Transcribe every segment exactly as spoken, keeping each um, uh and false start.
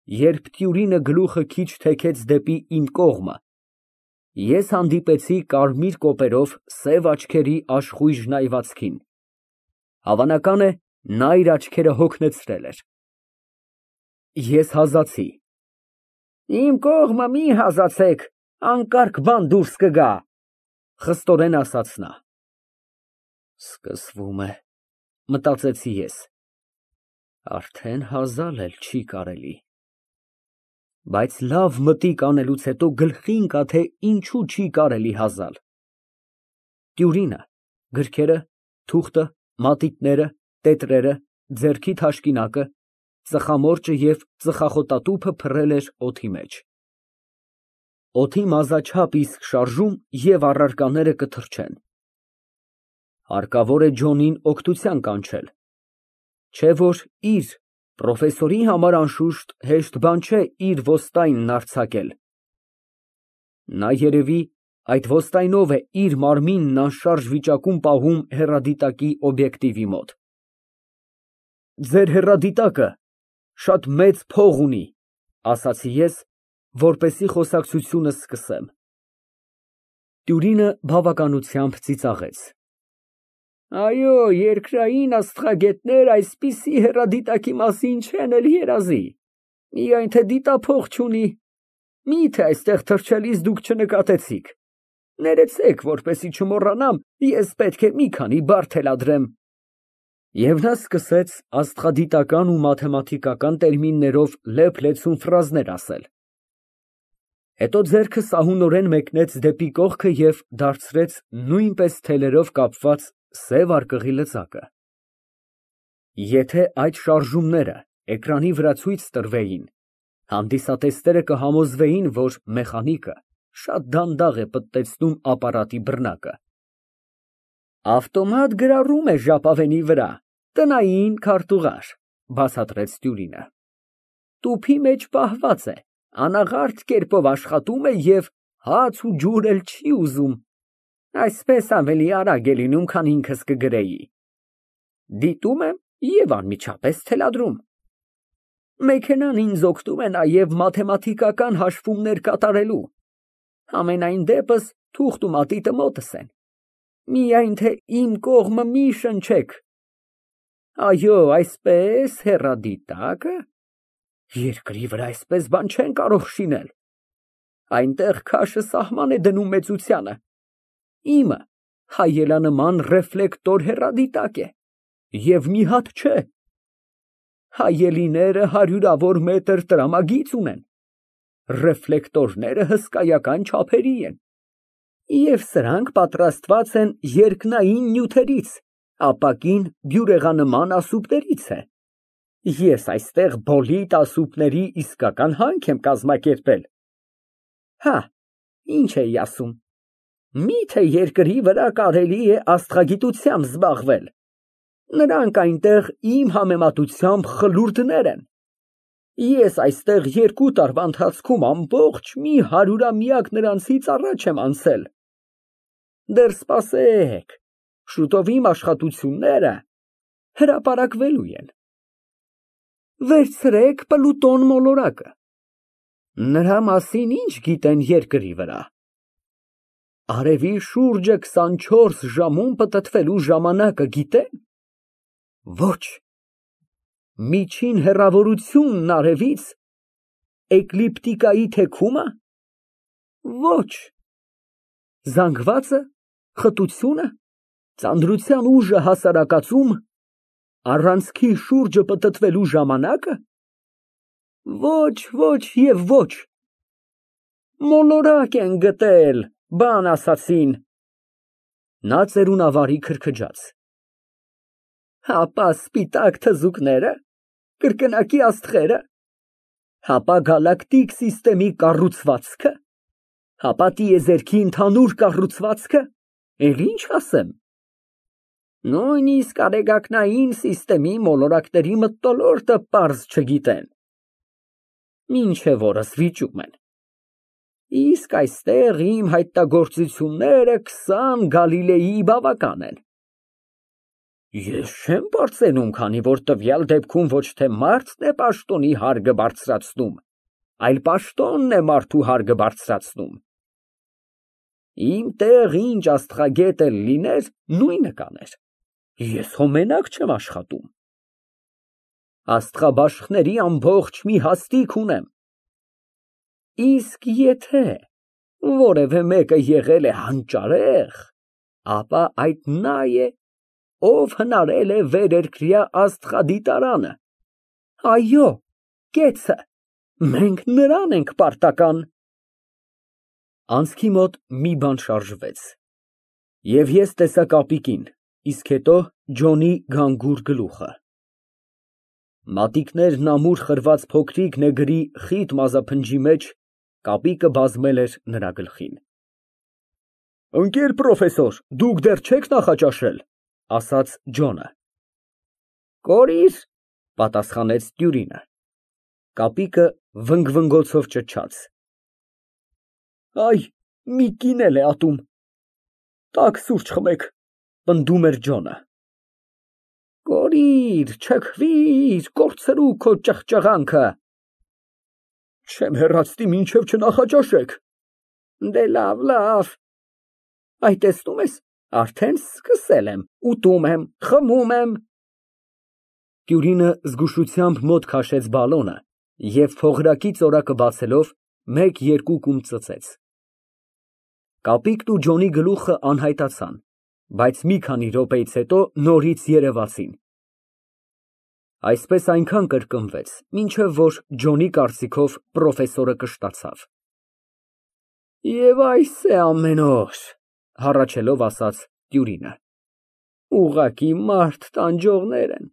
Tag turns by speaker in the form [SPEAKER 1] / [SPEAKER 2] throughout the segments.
[SPEAKER 1] Երբ տյուրինը գլուխը քիչ թեքեց դեպի իմ կողմը, ես հանդիպեցի կարմիր կոպերով սև աչքերի աշխույժ այվածքին, հավանական է, նա իր աչքերը հոգնեցրել էր։ Ես հազացի։ Իմ կողմը մի հազացեք, անկարգ բան դուրս կգա, խստորեն ասաց նա։ Սկսվում է, մտածեցի ես, արդեն հազալ էլ չի կարելի։ Բայց լավ մտիկ անելուց հետո գլխի ընկա, թե ինչու չի կարելի հազալ։ Տյուրինը, գրքերը, թուղթը, մատիտները, տետրերը, ձեռքի թաշկինակը, ծխամորճը և ծխախոտատուփը փռել էր օդի մեջ։ Օդի մազաչափ իսկ շարժում և առարկաները կթռչեն։ Հարկավոր է Ջոնին օգնության կանչել, չէ որ իր, պրոֆեսորի համար անշուշտ հեշտ բան չէ իր ոստայնն արձակել։ Նա երևի այդ ոստայնով է իր մարմինն անշարժ վիճակում պահում հեռադիտակի օբյեկտիվի մոտ։ Ձեր հեռադիտակը շատ մեծ փող ունի, ասացի ես, որպեսզի խոսակցությունը սկսեմ։ Տյուրինը բավականությամբ ծիծաղեց։ Այո, երկրային աստղագետներ այսպիսի հեռադիտակի մասին չեն էլ երազի, միայն թե դիտափող չունի, միթե այստեղ թռչելիս դուք չնկատեցիք, ներեցեք, որպեսզի չմոռանամ, ես պետք է մի քանի բառ թելադրեմ։ Եվ նա սկսեց աստղադիտական ու մաթեմատիկական տերմիններով լեփ-լեցուն ֆրազներ ասել։ Հետո ձեռքը սահունորեն մեկնեց դեպի կողքը և դարձրեց նույնպես թելերով կապված սև արկղի լծակը։ Եթե այդ շարժումները էկրանի վրա ցույց տրվեին, հանդիսատեսները կհամոզվեին, որ մեխանիկը շատ դանդաղ է պտտեցնում ապարատի բռնակը։ Ավտոմատ գրառում է ժապավենի վրա, տնային քարտուղար, բացատրեց տյուրինը։ Տուփի մեջ պահված է, անաղարտ կերպով աշխատում է և հաց ու ջուր էլ չի ուզում, այսպես ավելի արագ է լինում, քան ինքս կգրեի։ Դիտում եմ և անմիջապես թելադրում։ Մեքենան ինձ օգնում է նաև մաթեմատիկական հաշվումներ կատարելու, համենայն դեպս թուղթ ու մատիտը մոտս են, միայն թե իմ կողմը մի շնչեք։ Այո, այսպես հեռադիտակը, երկրի վրա այսպես բան չեն կարող շինել, այնտեղ քաշը սահման է դնում մեծությանը, իմը հայելանման ռեֆլեկտոր հեռադիտակ է, և մի հատ չէ, հայելիները հարյուրավոր մետր տրամագիծ ունեն, ռեֆլեկտորները հսկայական չափերի են, և սրանք պատրաստված են երկնային նյութերից, ապակին բյուրեղանման ասուպներից է։ Ես այստեղ բոլիտ ասուպների իսկական հանք եմ կազմակերպել։ Հա, ինչ էի ասում, միթե երկրի վրա կարելի է աստղագիտությամբ զբաղվել, նրանք այնտեղ իմ համեմատությամբ խլուրդներ են։ Ես այստեղ երկու տարվա ընթացքում ամբողջ մի հարյուրամյակ նրանցից առաջ եմ անցել։ Դեռ սպասեք, շուտով իմ աշխատությունները հրապարակվելու են։ Վերցրեք Պլուտոն մոլորակը, նրա մասին ինչ գիտեն երկրի վրա։ Արևի շուրջը քսանչորս ժամում պտտվելու ժամանակը գիտե՞ն։ Ոչ։ Միջին հեռավորությունն արևից, էկլիպտիկայի թեքումա։ Ոչ։ Զանգվածը, խտությունը, ծանրության ուժը հասարակածում, առանցքի շուրջը պտտվելու ժամանակը։ Ոչ, ոչ և ոչ։ Մոլորակ են գտել, բան ասացին։ Նա ծերունավարի քրքջաց։ Հապա սպիտակ թզուկները, կրկնակի աստղերը, հապա գալակտիկ սիստեմի կառուցվածքը, հապա տիեզերքի ընդհանուր կառուցվածքը, էլ ինչ ասեմ։ Նույնիսկ արեգակնային սիստեմի մոլորակների մթնոլորտը պարզ չգիտեն, մինչև օրս վիճում են։ Իսկ այստեղ իմ հայտնագործությունները քսան Գալիլեի բավական են։ Ես չեմ բարձենում, քանի որ տվյալ դեպքում ոչ թե մարդն է պաշտոնի հարգը բարձրացնում, այլ պաշտոնն է մարդու հարգը բարձրացնում։ Իմ տեղ ինչ աստղագետ էլ լիներ, նույնը կաներ, ես հո մենակ չեմ աշխատում։ Աստղաբաշխների ամբողջ մի հաստիք ունեմ։ Իսկ եթե որևէ մեկը եղել է հանճարեղ, ապա այդ նա է, ով հնարել է վերերկրյա աստղադիտարանը։ Այո, կեցը, մենք նրան ենք պարտական։ Անցքի մոտ մի բան շարժվեց, և ես տեսա կապիկին, իսկ հետո Ջոնի գանգուր գլուխը։ Մատիկներն ամուր խրված փոքրիկ նեգրի խիտ մազափնջի մեջ կապիկը բազմել էր նրա գլխին։ Ընկեր պրոֆեսոր, դուք դեռ չեք նախաճաշել, ասաց Ջոնը։ Կորիր, պատասխանեց տյուրինը։ Կապիկը վնգվնգոցով ճչաց։ Այ, մի կին էլ է ատում։ Տաք սուրճ խմեք, պնդում էր Ջոնը։ Կորիր, չքվիր, կորցրու քո ճղճղանքը։ Չեմ հեռացնի, մինչև չնախաճաշեք։ Դե լավ, լավ։ Այ տեսնում ես, արդեն սկսել եմ, ուտում եմ, խմում եմ։ Տյուրինը զգուշությամբ մոտ քաշեց բալոնը և փողրակի ծորակը բացելով մեկ֊երկու կում ծծեց։ Կապիկն ու Ջոնի գլուխը անհայտացան, բայց մի քանի րոպեից հետո նորից երևացին։ Այսպես այնքան կրկնվեց, մինչև որ Ջոնի կարծիքով պրոֆեսորը կշտացավ։ Եվ այս է ամեն օր, հառաչելով ասաց տյուրինը։ Ուղղակի մարդ տանջողներ են,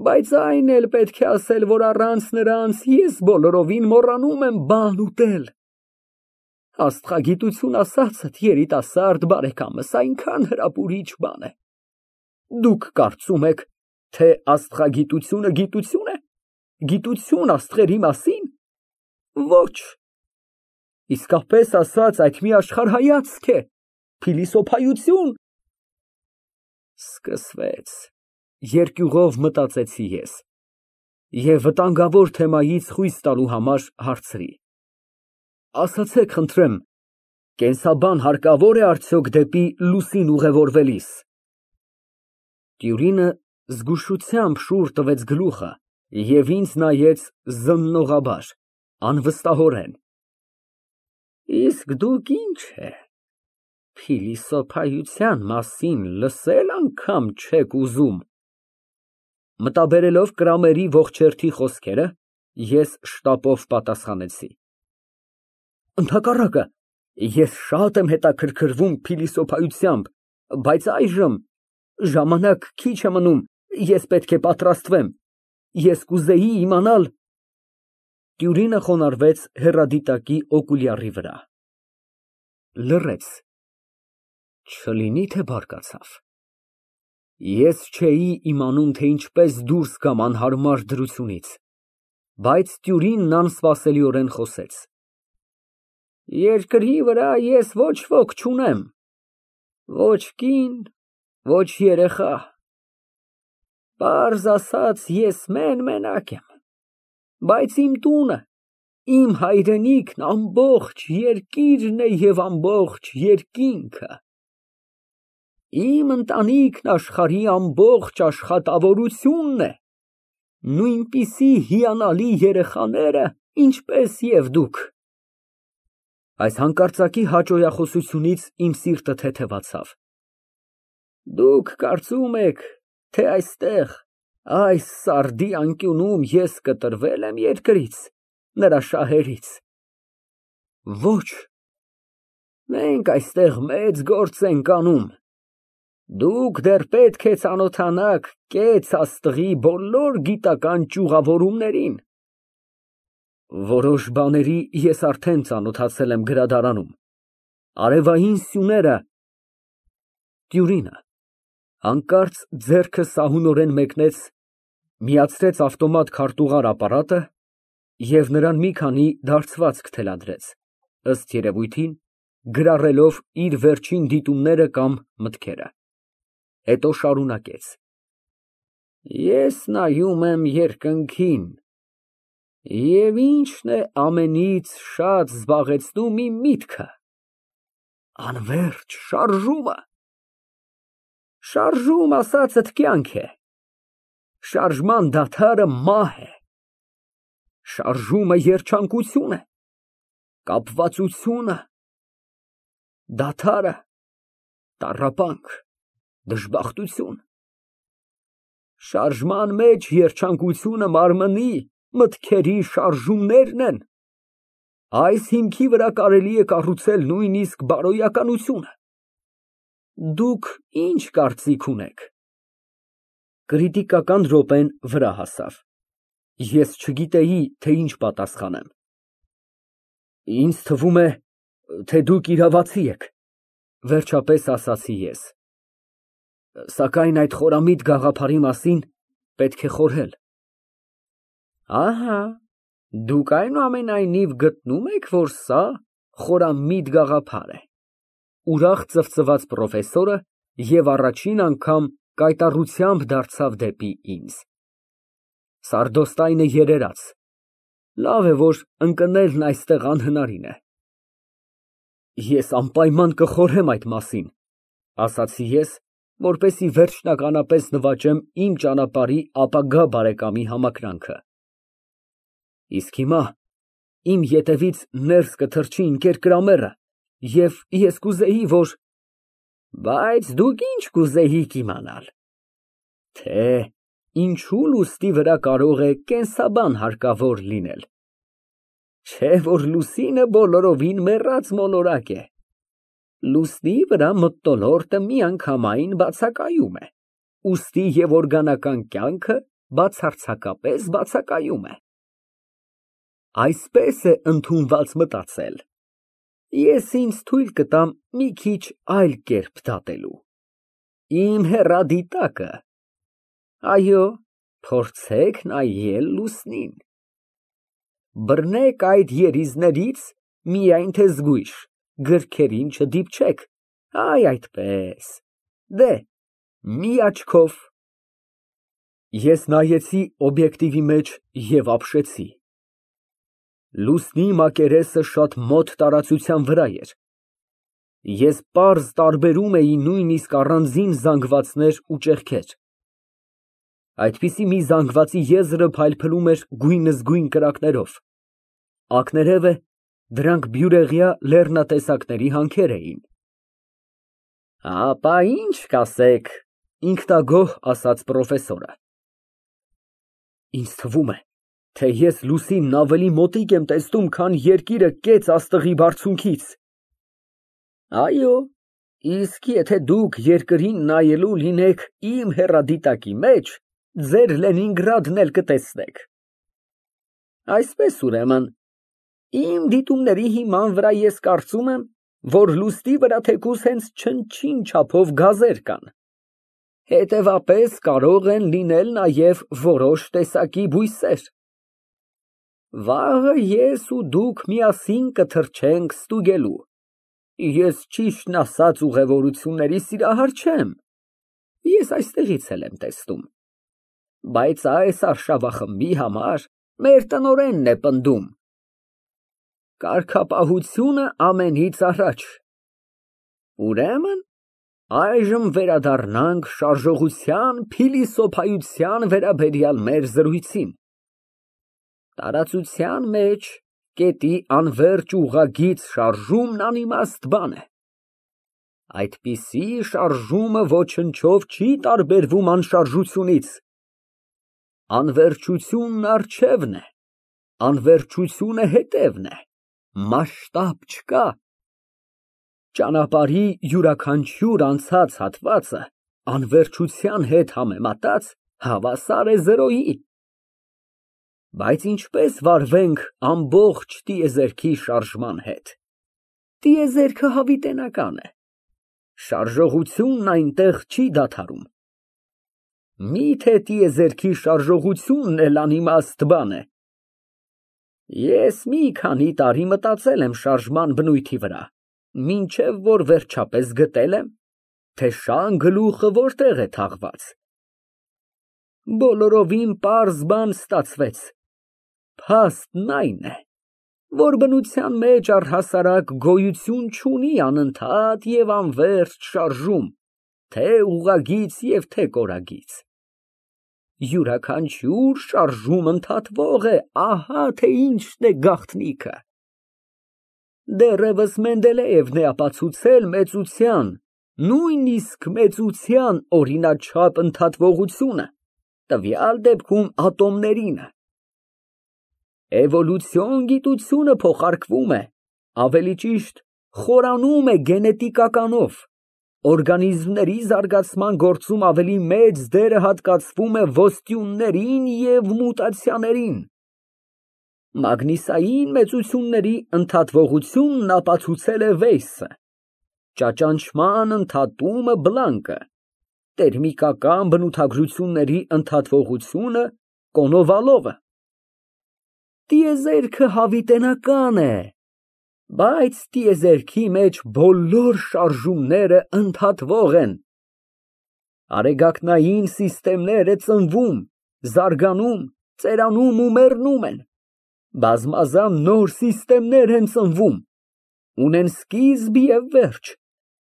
[SPEAKER 1] բայց այն էլ պետք է ասել, որ առանց նրանց ես բոլորովին մոռանում եմ բան ուտել։ Աստղագիտություն ասածդ, երիտասարդ բարեկամս, այնքան հրապուրիչ բան է։ Դուք կարծում եք, թե աստղագիտությունը գիտություն է, գիտություն աստղերի մասին։ Ոչ։ Իսկապես ասած, այդ մի աշխարհայացք է, փիլիսոփայություն։ Սկսվեց, երկյուղով մտածեցի ես և վտանգավոր թեմայից խույս տալու համար հարցրի. Ասացեք, խնդրեմ, կենսաբան հարկավո՞ր է արդյոք դեպի լուսին ուղևորվելիս։ Տյուրինը զգուշությամբ շուռ տվեց գլուխը և ինձ նայեց զննողաբար, անվստահորեն։ Իսկ դուք ինչ է, փիլիսոփայության մասին լսել անգամ չեք ուզում։ Մտաբերելով Կրամերի ողջերթի խոսքերը, ես շտապով պատասխանեցի. Ընդհակառակը, ես շատ եմ հետաքրքրվում փիլիսոփայությամբ, բայց այժմ ժամանակ քիչ է մնում, ես պետք է պատրաստվեմ, ես կուզեի իմանալ… Տյուրինը խոնարհվեց հեռադիտակի օկուլյարի վրա։ Լռեց, չլինի թե բարկացավ։ Ես չէի իմանում, թե ինչպես դուրս գամ անհարմար դրությունից, բայց տյուրինն անսպասելիորեն խոսեց. Երկրի վրա ես ոչ ոք չունեմ, ոչ կին, ոչ երեխա, պարզ ասած, ես մեն֊մենակ եմ, բայց իմ տունը, իմ հայրենիքն ամբողջ երկիրն է և ամբողջ երկինքը, իմ ընտանիքն աշխարհի ամբողջ աշխատավորությունն է, նույնպիսի հիանալի երեխաները, ինչպես և դուք։ Այս հանկարծակի հաճոյախոսությունից իմ սիրտը թեթևացավ։ Դուք կարծում եք, թե այստեղ, այս սարդի անկյունում ես կտրվել եմ երկրից, նրա շահերից։ Ոչ, մենք այստեղ մեծ գործ ենք անում։ Դուք դեռ պետք է ծանոթանաք կեց աստղի բոլոր գիտական ճյուղավորումներին։ Որոշ բաների ես արդեն ծանոթացել եմ գրադարանում, արևային սյուները… Տյուրինը հանկարծ ձեռքը սահունորեն մեկնեց, միացրեց ավտոմատ քարտուղար ապարատը և նրան մի քանի դարձվածք թելադրեց, ըստ երևույթին, գրառելով իր վերջին դիտումները կամ մտքերը, հետո շարունակեց. Ես նայում եմ երկնքին, և ի՞նչն է ամենից շատ զբաղեցնում իմ միտքը։ Անվերջ շարժումը։ Շարժում ասածդ կյանք է, շարժման դադարը մահ է, շարժումը երջանկություն է, կապվածությունը, դադարը տառապանք, դժբախտություն։ Շարժման մեջ երջանկությունը մարմնի, մտքերի շարժումներն են, այս հիմքի վրա կարելի է կառուցել նույնիսկ բարոյականությունը։ Դուք ի՞նչ կարծիք ունեք։ Կրիտիկական րոպեն վրա հասավ։ Ես չգիտեի, թե ինչ պատասխանեմ։ Ինձ թվում է, թե դուք իրավացի եք, վերջապես ասացի ես։ Սակայն այդ խորամիտ գաղափարի մասին պետք է խորհել։ Ահա, դուք այնուամենայնիվ գտնում եք, որ սա խորամիտ գաղափար է, ուրախ ծվծված պրոֆեսորը և առաջին անգամ կայտառությամբ դարձավ դեպի ինձ։ Սարդոստայնը երերաց, լավ է, որ ընկնելն այստեղ անհնարին է։ Ես անպայման կխորհեմ այդ մասին, ասացի ես, որպեսզի վերջնականապես նվաճեմ իմ ճանապարհի ապագա բարեկամի համակրանքը։ Իսկ հիմա իմ ետևից ներս կթռչի ընկեր Կրամերը, և ես կուզեի, որ… Բայց դուք ինչ կուզեիք իմանալ, թե ինչու լուսնի վրա կարող է կենսաբան հարկավոր լինել։ Չէ՞ որ լուսինը բոլորովին մեռած մոլորակ է։ Լուսնի վրա մթնոլորտը միանգամայն բացակայում է, ուստի և օրգանական կյանքը բացարձակապես բացակայում է։ Այսպես է ընդունված մտածել։ Ես ինձ թույլ կտամ մի քիչ այլ կերպ դատելու։ Իմ հեռադիտակը, այո, փորձեք նայել լուսնին։ Բռնեք այդ երիզներից միայն թե զգույշ, գրքերին չդիպչեք, այ այդպես, դե, մի աչքով։ Ես նայեցի օբյեկտիվի մեջ և ապշեցի։ Լուսնի մակերեսը շատ մոտ տարածության վրա էր։ Ես պարզ տարբերում էի նույնիսկ առանձին զանգվածներ ու ճեղքեր։ Այդպիսի մի զանգվածի եզրը փայլփլում էր գույնզգույն կրակներով, ակներևը դրանք բյուրեղյա լեռնատեսակների հանքեր էին։ Ապա ինչ կասեք, ինքնագոհ ասաց պրոֆեսորը։ Ինձ թվում է, թե ես լուսինն ավելի մոտիկ եմ տեսնում, քան երկիրը կեց աստղի բարձունքից։ Այո, իսկ եթե դուք երկրին նայելու լինեք իմ հեռադիտակի մեջ, ձեր Լենինգրադն էլ կտեսնեք։ Այսպես, ուրեմն, իմ դիտումների հիման վրա ես կարծում եմ, որ լուսնի վրա թեկուզ հենց չնչին չափով գազեր կան։ Հետևաբար կարող են լինել նաև որոշ տեսակի բույսեր։ Վաղը ես ու դուք միասին կթռչենք ստուգելու։ Ես ճիշտն ասած ուղևորությունների սիրահար չեմ, ես այստեղից էլ եմ տեսնում, բայց այս արշավախմբի համար մեր տնօրենն է պնդում. կարգապահությունը ամենից առաջ։ Ուրեմն, այժմ վերադառնանք շարժողության փիլիսոփայության վերաբերյալ մեր զրույցին։ Տարածության մեջ կետի անվերջ ուղղագիծ շարժումն անիմաստ բան է։ Այդպիսի շարժումը ոչնչով չի տարբերվում անշարժությունից։ Անվերջությունն առջևն է, անվերջությունը հետևն է, մասշտաբ չկա։ Ճանապարհի յուրաքանչյուր անցած հատվածը անվերջության հետ համեմատած հավասար է զերոյի։ Բայց ինչպես վարվենք ամբողջ տիեզերքի շարժման հետ։ Տիեզերքը հավիտենական է, շարժողությունն այնտեղ չի դադարում։ Մի՞թե տիեզերքի շարժողությունն էլ անիմաստ բան է։ Ես մի քանի տարի մտածել եմ շարժման բնույթի վրա, մինչև որ վերջապես գտել եմ, թե շան գլուխը որտեղ է թաղված։ Բոլորովին պարզ բան ստացվեց. փաստն այն է, որ բնության մեջ առհասարակ գոյություն չունի անընդհատ և անվերջ շարժում, թե ուղղագիծ և թե կորագիծ։ Յուրաքանչյուր շարժում ընդհատվող է, ահա թե ինչն է գաղտնիքը։ Դեռևս Մենդելեևն է ապացուցել մեծության, նույնիսկ մեծության օրինաչափ ընդհատվողությունը, տվյալ դեպքում ատոմներինը։ Էվոլյուցիոն գիտությունը փոխարկվում է, ավելի ճիշտ, խորանում է գենետիկականով, օրգանիզմների զարգացման գործում ավելի մեծ դերը հատկացվում է ոսტիյուններին և մուտացիաներին։ Մագնիսային մեծությունների ընդհատվողությունն ապացուցել է Վեյսը, ճաճանճման ընդհատումը Բլանկը, տերմիկական բնութագրությունների ընդհատվողությունը Կոնովալովը։ Տիեզերքը հավիտենական է, բայց տիեզերքի մեջ բոլոր շարժումները ընդհատվող են։ Արեգակնային սիստեմները ծնվում, զարգանում, ծերանում ու մեռնում են, բազմազան նոր սիստեմներ են ծնվում, ունեն սկիզբ և վերջ,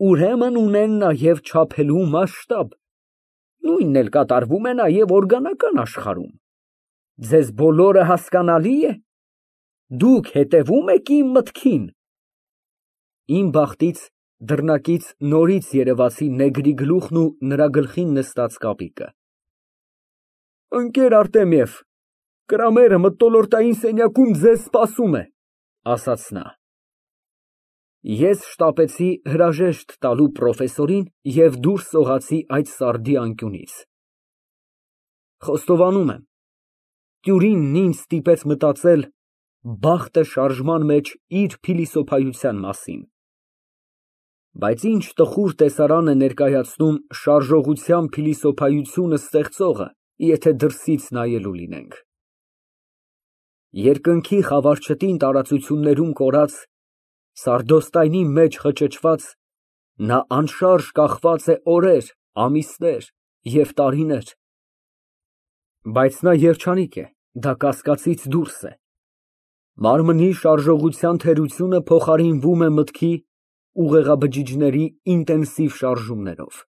[SPEAKER 1] ուրեմն ունեն նաև չափելու մասշտաբ, նույնն էլ կատարվում է նաև օրգանական աշխարհում։ Ձեզ բոլորը հասկանալի է։ Դուք հետևո՞ւմ եք իմ մտքին։ Իմ բախտից դռնակից նորից երևացին նեգրի գլուխն ու նրա գլխին նստած կապիկը։ Ընկեր Արտեմիև, Կրամերը մթնոլորտային սենյակում ձեզ սպասում է, ասաց նա։ Ես շտապեցի հրաժեշտ տալու պրոֆեսորին և դուրս սողացի այդ սարդի անկյունից։ Խոստովանում եմ, տյուրինն ինձ ստիպեց մտածել բախտը շարժման մեջ իր փիլիսոփայության մասին։ Բայց ինչ տխուր տեսարան է ներկայացնում շարժողության փիլիսոփայությունը ստեղծողը, եթե դրսից նայելու լինենք։ Երկնքի խավարչտին տարածություններում կորած, սարդոստայնի մեջ խճճված, նա անշարժ կախված է օրեր, ամիսներ և տարիներ։ Բայց նա երջանիկ է, դա կասկածից դուրս է։ Մարմնի շարժողության թերությունը փոխարինվում է մտքի ուղեղաբջիջների ինտենսիվ շարժումներով։